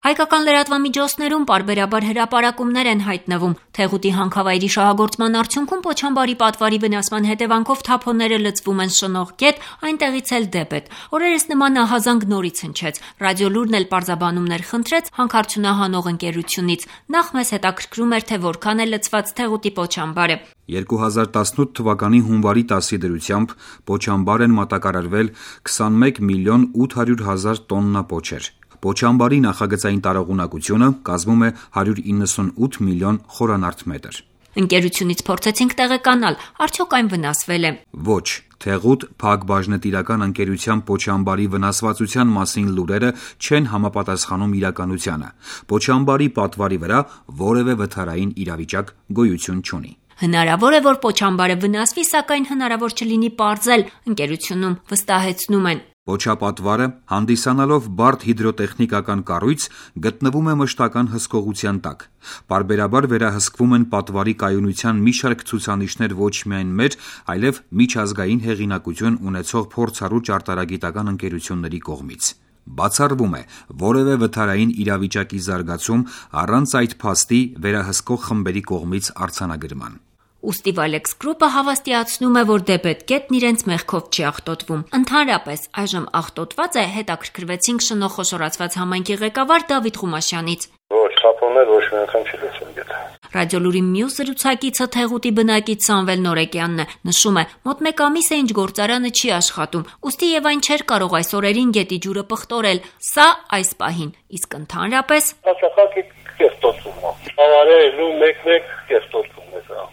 Հայկական լրատվամիջոցներում պարբերաբար հրապարակումներ են հայտնվում. Թեղուտի հանքավայրի շահագործման արդյունքում Պոչամբարի պատվարի վնասման հետևանքով թափոնները լցվում են շնող գետ, այնտեղից էլ դեպետ։ Օրերս նման ահազանգ նորից հնչեց։ Ռադիոլուրն էլ պարզաբանումներ խնդրեց հանքարդյունահանող ընկերությունից։ Նախ մեզ հետաքրքրում էր, թե որքան է լցված Թեղուտի Պոչամբարը։ 2018 թվականի հունվարի 10-ի դրությամբ Պոչամբար են մատակարարվել 21 միլիոն 800 հազար տոննա պոչեր։ Պոչամբարի նախագծային տարողունակությունը կազմում է 198 միլիոն խորանարդ մետր։ Ընկերությունից փորձեցինք տեղեկանալ, արդյոք այն վնասվել է։ Ոչ, Թեղուտ Փակբաժնետիրական ընկերության Պոչամբարի վնասվածության մասին լուրերը չեն համապատասխանում իրականությանը։ Պոչամբարի պատվարի վրա որևէ վթարային իրավիճակ գոյություն չունի։ Հնարավոր է, որ Պոչամբարը վնասվի, սակայն հնարավոր չլինի պարզել, ընկերությունում վստահեցնում են։ Պոչապատվարը, հանդիսանալով բարդ հիդրոտեխնիկական կառույց, գտնվում է մշտական հսկողության տակ։ Պարբերաբար վերահսկվում են պատվարի կայունության մի շարք ցուցանիշներ ոչ միայն մեր, այլև միջազգային հեղինակություն ունեցող փորձառու ճարտարագիտական ընկերությունների կողմից։ Բացառվում է որևէ վթարային իրավիճակի զարգացում առանց այդ փաստի վերահսկող խմբերի կողմից արձանագրման։ Ուստի Valex Group-ը հավաստիացնում է, որ դեպետ գետն իրենց մեղքով չի աղտոտվում։ Ընդհանրապես, այժմ աղտոտված է, հետաքրքրվեցինք շնորհ խոշորացված համայնքի ղեկավար Դավիթ Ղումաշյանից։ Ոչ, թափոններ ոչ մի անգամ չի լցել գետը։ Ռադիոլուրի մյուս զրուցակիցը Թեղուտի բնակիչ Սամվել Նորեկյանն է, նշում է, մոտ մեկ ամիս է ինչ գործարանը չի աշխատում, ուստի եւ այն չէր կարող այս օրերին գետի ջուրը պղտորել։ Սա այս պահին, իսկ ընդհանրապես Հաշախակի կերտոտում է։ Ավարելու մեկ-մեկ կերտոտում է սա։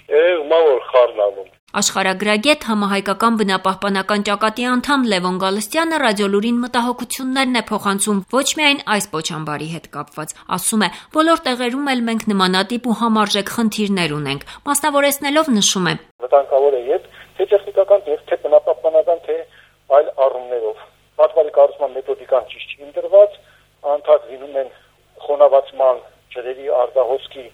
Ումա որ խառնալու։ Աշխարհագրագետ համահայկական բնապահպանական ճակատի անդամ Լևոն Գալստյանը Ռադիոլուրին մտահոգություններն է փոխանցում ոչ միայն այս Պոչամբարի հետ կապված։ Ասում է, բոլոր տեղերում էլ մենք նմանատիպ ու համարժեք խնդիրներ ունենք։ Մասնավորեցնելով նշում է. Վտանգավոր է եւ թե տեխնիկական, թե բնապահպանական, թե այլ առումներով։ Պատվարի կառուցման մեթոդիկան ճիշտ չի ընտրված, անդադ լինում են խոնավացման ջրերի արտահոսքի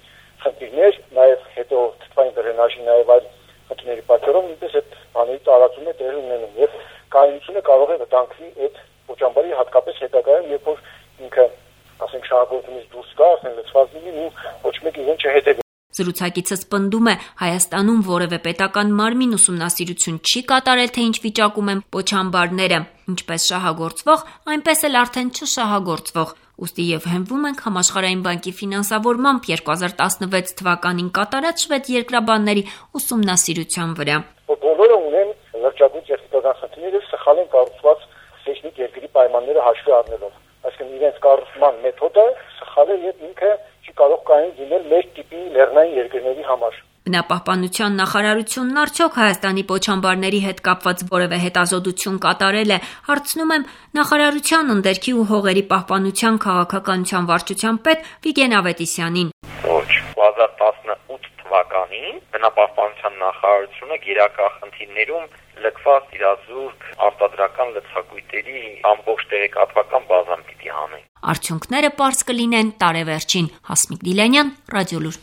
խնդիրներ, նաեւ հետո թթվային դրենաժի, նաեւ այլ խնդիրների պատճառով նույնպես այդ բաների տարածումը տեղի ունենում եւ կայունությունը կարող է վտանգվի այդ Պոչամբարի հատկապես հետագայում, երբ որ ինքը, ասենք, շահագործումից դուրս գա, ասենք, լցված լինի ու ոչ մեկ իրեն չհետևի։ Զրուցակիցս պնդում է, Հայաստանում որևէ պետական մարմին ուսումնասիրություն չի կատարել, թե ինչ վիճակում են Պոչամբարները, ինչպես շահագործվող, այնպես էլ արդեն չշահագործվող։ Ուստի եւ հենվում ենք Համաշխարհային բանկի ֆինանսավորմամբ 2016 թվականին կատարած շվեդ երկրաբանների ուսումնասիրության վրա։ Բոլորը ունեն լրջագույն տեխնիկական խնդիրներ, սխալ են կառուցված տեխնիկ երկրի պայմանները հաշվի առնելով։ Այսինքն իրենց կառուցման մեթոդը սխալ է եւ ինքը չի կարող կայուն լինել մեր տիպի լեռնային երկրների համար։ Բնապահպանության նախարարությունն արդյոք Հայաստանի Պոչամբարների հետ կապված որևէ հետազոտություն կատարել է, հարցնում եմ նախարարության ընդերքի ու հողերի պահպանության քաղաքականության վարչության պետ Վիգեն Ավետիսյանին։ Ոչ, 2018 թվականին բնապահպանության նախարարությունը գերակա խնդիրներում լքված իրազուրկ արտադրական լցակույտերի ամբողջ տեղեկատվական բազան պիտի հանեն։ Արդյունքները պարզ կլինեն տարեվերջին։ Հասմիկ Դիլանյան, Ռադիոլուր։